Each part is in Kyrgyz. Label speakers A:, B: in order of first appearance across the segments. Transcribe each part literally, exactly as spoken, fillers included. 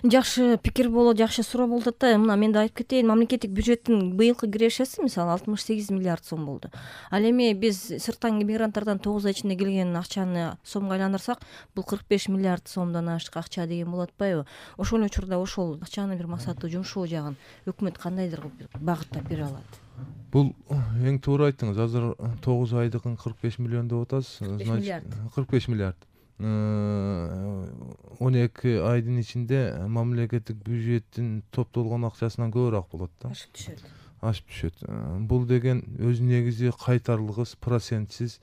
A: Жакшы пикир болот, жакшы суроо болуп атат да. Мына мен да айтып кетейин, мамлекеттик бюджеттин быйылкы кирешеси мисалы алтымыш сегиз миллиард сом болду. Ал эми биз сырттан мигранттардан тогуз ай ичинде келген акчаны сомго айландырсак, бул кырк беш миллиард сомдон ашык акча деген болот атпайбы? Ошол эле учурда ошол акчаны бир максаттуу жумшоо жагын өкмөт кандайдыр багыттап бере алат?
B: Бул эң туура айттыңыз. Азыр тогуз айдыгын кырк беш миллион деп атасыз. кырк беш миллиард. он эки айдын ичинде мамлекеттик бюджеттин топтолгон акчасынан көбүрөөк болот да.
A: Ашып түшөт.
B: Ашып түшөт. Бул деген өз негизи кайтарлыгыз процентсиз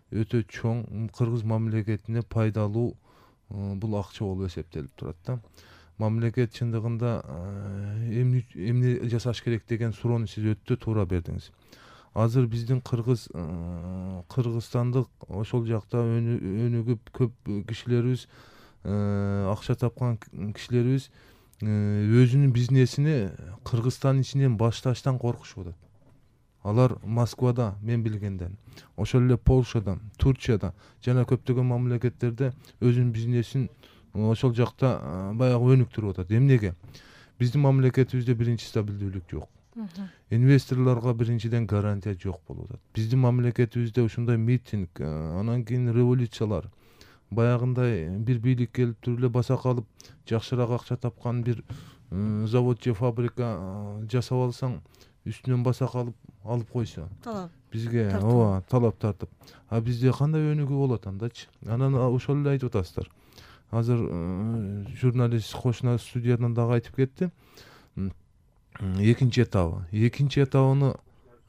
B: өтө чоң кыргыз мамлекетине пайдалуу бул акча болуп эсептелип турат да. Мамлекет чындыгында эмне эмне жасаш керек деген суроону сиз өтө туура бердиңиз. Азыр биздин кыргыз кыргызстандык ошол жакта өнүгүп көп кишилерибиз, акча тапкан кишилерибиз өзүнүн бизнесини Кыргызстан ичинен башташтан коркушуп атат. Алар Москвада, мен билгенден, ошол эле Полшада, Турцияда жана көптөгөн мамлекеттерде өзүнүн бизнесин ошол жакта баягы өнүктүрүп атат. Эмнеге? Биздин мамлекетибизде биринчи стабилдүүлүк жок. Инвесторлорго биринчиден гарантия жок болуп атат. Биздин мамлекетибизде ушундай митинг, анан кийин революциялар, баягындай бир бийлик келип туруп эле баса калып, жакшыраак акча тапкан бир завод же фабрика жасап алсаң, үстүнөн баса калып алып койсо.
A: Талап.
B: Бизге ооба, талап тартып. А бизде кандай өнүгүү болот андачы? Анан ошол эле айтып атасыздар. Азыр журналист кошуна студиядан дагы айтып кетти. Экинчи этабы. Экинчи этабыны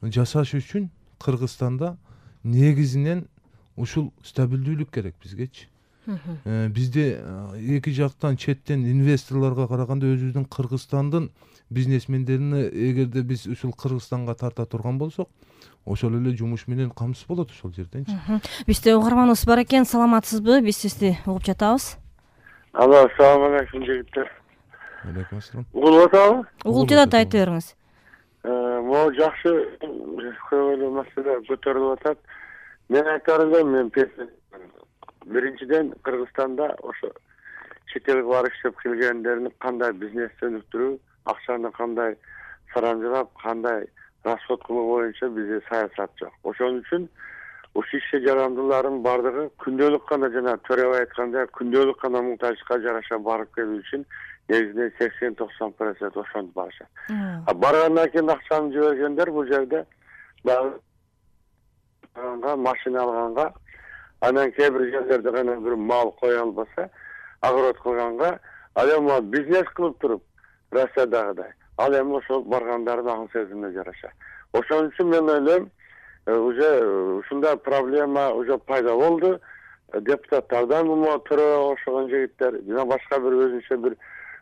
B: жасаш үчүн Кыргызстанда негизинен ушул стабилдүүлүк керек бизгечи. Бизде эки жактан четтен инвесторлорго караганда өзүбүздүн Кыргызстандын бизнесмендерине эгерде биз ушул Кыргызстанга тарта турган болсок, ошол эле жумуш менен камсыз болот ошол жерденчи.
A: Бизде угарманыбыз бар экен, саламатсызбы? Биз сизди угуп жатабыз.
C: Алло, assalomu alaykum жигиттер.
B: Алейкум ассалам.
C: Угулуп атабы?
A: Угулуп жатат, айтып бериңиз.
C: Могу жакшы көңүлдүү маселе көтөрүлүп атат. Мен айтарым элем, мен биринчиден Кыргызстанда ошо чет элге барып иштеп келгендердин кандай бизнести өнүктүрүү, акчаны кандай сарамжылап, кандай расход кылуу боюнча бизде саясат жок. Ошон үчүн ушул ишке жарандылардын бардыгы күндөлүк гана жана төрөбай айткандай күндөлүк гана муктаждыкка жараша барып келүү үчүн негизинен сексен токсон процент ошентип барышат. А баргандан кийин акчаны жибергендер бул жерде баягы машина алганга, анан кээ бир жерлерде гана бир мал кое албаса, огород кылганга, ал эми бизнес кылып туруп, Россиядагыдай. Ал эми ошол баргандардын акыл сезимине жараша. Ошон үчүн мен ойлойм, уже ушундай проблема уже пайда болду. Депутаттардан муну төрө ошогон жигиттер жана башка бир өзүнчө бир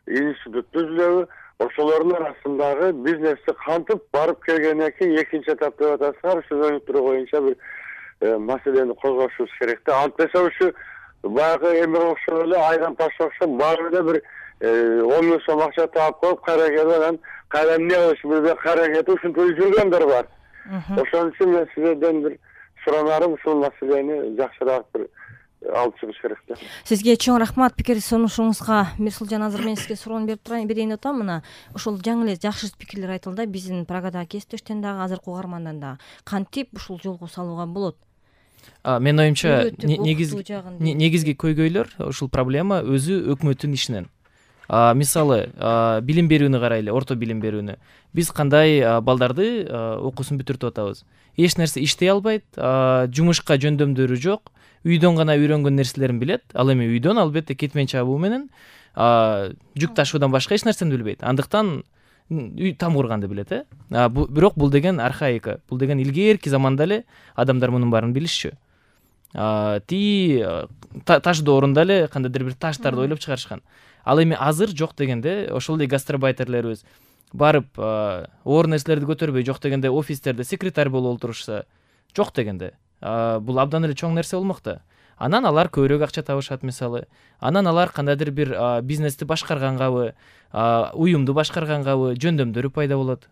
C: институт түзүлөбү, ошолордун арасындагы бизнести кантип барып келгенден кийин экинчи этап деп атасыздар, ушу өнүктүрүү боюнча бир маселени козгошубуз керек да. Антпесе ушу баягы эме окшоп эле айран таш окшоп баары эле бир он миң сом акча таап коюп кайра келип анан кайра эмне кылыш билбей кайра кетип ушинтип жүргөндөр бар. Ошон үчүн мен сиздерден бир суранарым, ушул маселени жакшыраак бир алып чыгыш керек да.
A: Сизге чоң рахмат пикир сунушуңузга. Мирсулжан, азыр мен сизге суроону берип турайын, берейин деп атам. Мына ошол жаңы эле жакшы пикирлер айтылды. Биздин Прагадагы кесиптештен дагы, азыркы угармандан дагы. Кантип ушул жолго салууга болот?
D: Мен оюмча негизги көйгөйлөр ушул проблема өзү өкмөттүн ишинен. Мисалы, билим берүүнү карайлы, орто билим берүүнү. Биз кандай балдарды окуусун бүтүртүп атабыз. Эч нерсе иштей албайт, жумушка жөндөмдөрү жок, үйдөн гана үйрөнгөн нерселерин билет. Ал эми үйдөн албетте кетмен чабуу менен жүк ташуудан башка эч нерсени билбейт. Андыктан үй там курганды билет, э? Бирок бул деген архаика. Бул деген илгерки заманда эле адамдар мунун баарын билишчү. Ти ташды орунда эле кандайдыр бир таштарды ойлоп чыгарышкан. Ал эми азыр жок дегенде ошол эле гастарбайтерлерибиз барып оор нерселерди көтөрбөй, жок дегенде офистерде секретарь болуп отурушса, жок дегенде бул абдан эле чоң нерсе болмокта. Анан алар көбүрөөк акча табышат мисалы. Анан алар кандайдыр бир бизнести башкаргангабы, уюмду башкаргангабы жөндөмдөрү пайда болот.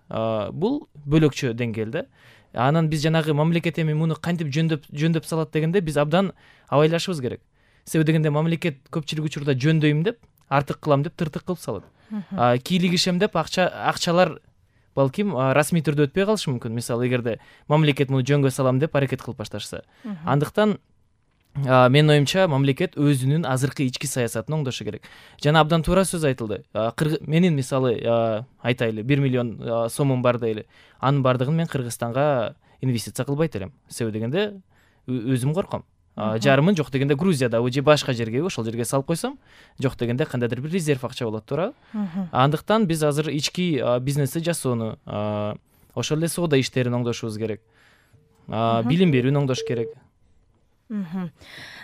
D: Бул бөлөкчө деңгээлде. Анан биз жанагы мамлекет эми муну кантип жөндөп жөндөп салат дегенде биз абдан абайлашыбыз керек. Себеби дегенде мамлекет көпчүлүк учурда жөндөйм деп артык кылам деп тыртык кылып салат. Кийлигишем деп акча акчалар балким расмий түрдө өтпөй калышы мүмкүн. Мисалы, эгерде мамлекет муну жөнгө салам деп аракет кылып башташса. Андыктан менин оюмча мамлекет өзүнүн азыркы ички саясатын оңдошу керек. Жана абдан туура сөз айтылды. Менин мисалы айтайлы бир миллион сомум бар дейли. Анын бардыгын мен Кыргызстанга инвестиция кылбайт элем. Себеби дегенде өзүм корком. Жарымын жок дегенде Грузиядабы же башка жерге ошол жерге салып койсом, жок дегенде кандайдыр бир резерв акча болот, туура. Андыктан биз азыр ички бизнести жасоону, ошол эле соода иштерин оңдошубуз керек. Билим берүүнү оңдош керек.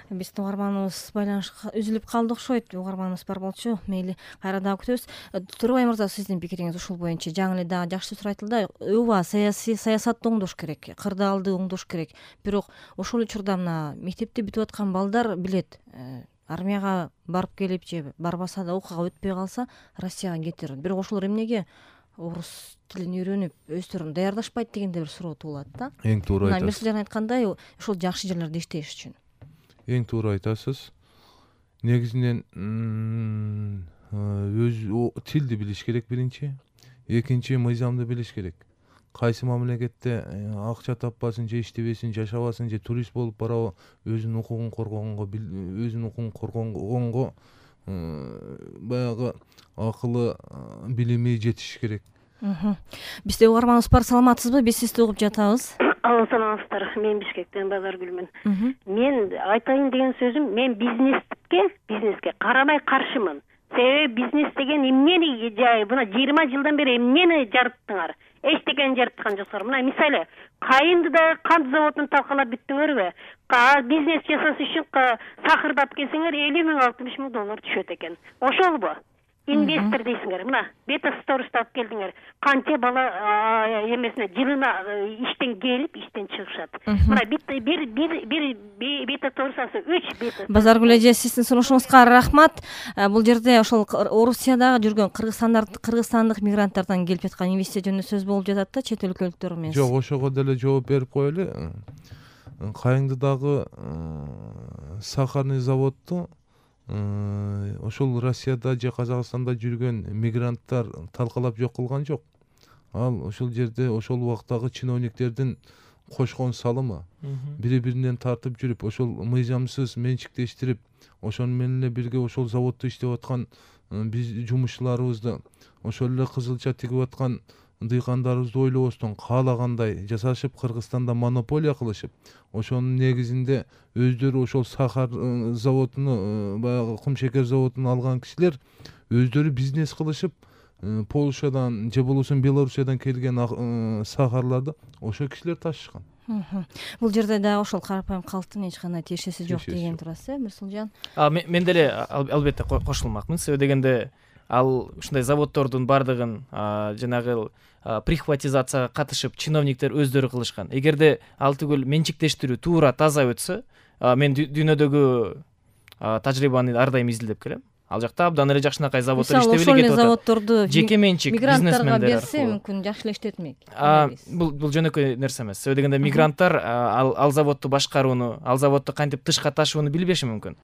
A: Биздин угарманыбыз байланышка үзүлүп калды окшойт. Угарманыбыз бар болчу. Мейли, кайра дагы күтөбүз. Турбай мырза, сиздин пикириңиз ушул боюнча жаңы эле дагы жакшы сөз айтылды. Ооба, саясий саясатты оңдош керек, кырдаалды оңдош керек. Бирок ошол учурда мына мектепти бүтүп аткан балдар билет, армияга барып келип же барбаса да окууга өтпөй калса, Россияга кетер. Бирок ошолор эмнеге орус тилин үйрөнүп өздөрүн даярдашпайт дегенде бир суроо туулат да.
B: Эң туура айтасыз.
A: Мирсулжан айткандай, ошол жакшы жерлерде иштеш үчүн.
B: Эң туура айтасыз. Негизинен өз тилди билиш керек биринчи. Экинчи, мыйзамды билиш керек. Кайсы мамлекетте акча таппасын же иштебесин, жашабасын же турист болуп барабы, өзүнүн укугун коргогонго, өзүнүн укугун коргогонго баягы акылы, билими жетиш керек.
A: Бизде угарманыбыз бар, саламатсызбы? Биз сизди угуп жатабыз.
E: Алла, саламатсыздар. Мен Бишкектен Базаргүлмүн. Мен айтайын деген сөзүм, мен бизнеске, бизнеске карабай каршымын. Себеби бизнес деген эмнени жай, мына жыйырма жылдан бери эмнени жарыттыңар? Эчтекени жарыткан жоксуңар. Мына мисалы, кайынды да кант заводун талкалап бүттүңөрбү? Бизнес жасаш үчүн сахырдап келсеңер элүү миң алтымыш миң доллар түшөт экен. Ошолбу? Инвестор дейсиңер. Мына бета стористи алып келдиңер. Канча бала эмесине жылына иштен келип, иштен чыгышат. Мына бир бир бир бета сторисасы үч бета.
A: Базаргүл эже, сиздин сунушуңузга рахмат. Бул жерде ошол Орусияда жүргөн кыргызстандык мигранттардан келип жаткан инвестиция жөнүндө сөз болуп жатат да, чет өлкөлүктөр эмес.
B: Жок, ошого деле жооп берип коелу. Кайыңдыдагы сахарный заводду ошол Россияда же Казакстанда жүргөн мигранттар талкалап жок кылган жок. Ал ошол жерде ошол убактагы чиновниктердин кошкон салымы. Бири-биринен тартып жүрүп, ошол мыйзамсыз менчиктештирип, ошону менен эле бирге ошол заводдо иштеп аткан биз жумушчуларыбызды, ошол эле кызылча тигип аткан дыйкандарыбызды ойлобостон каалагандай жасашып, Кыргызстанда монополия кылышып, ошонун негизинде өздөрү ошол сахар заводуну, баягы кум шекер заводун алган кишилер өздөрү бизнес кылышып, Полшадан же болбосо Белоруссиядан келген сахарларды ошол кишилер ташышкан.
A: Бул жерде дагы ошол карапайым калктын эч кандай тиешеси жок деген турасыз, э, Мирсулжан?
D: Мен деле албетте кошулмакмын. Себеби дегенде ал ушундай заводдордун бардыгын жанагы прихватизацияга катышып чиновниктер өздөрү кылышкан. Эгерде ал түгүл менчиктештирүү туура таза өтсө, мен дүйнөдөгү тажрыйбаны ар дайым изилдеп келем. Ал жакта абдан эле жакшынакай заводдор иштеп эле кетип атат.
A: Ошол заводдорду
D: жеке менчик бизнесмендер
A: берсе, мүмкүн жакшы эле иштетмек.
D: Бул бул жөнөкөй нерсе эмес. Себеби дегенде мигранттар ал заводду башкарууну, ал заводду кантип тышка ташууну билбеши мүмкүн.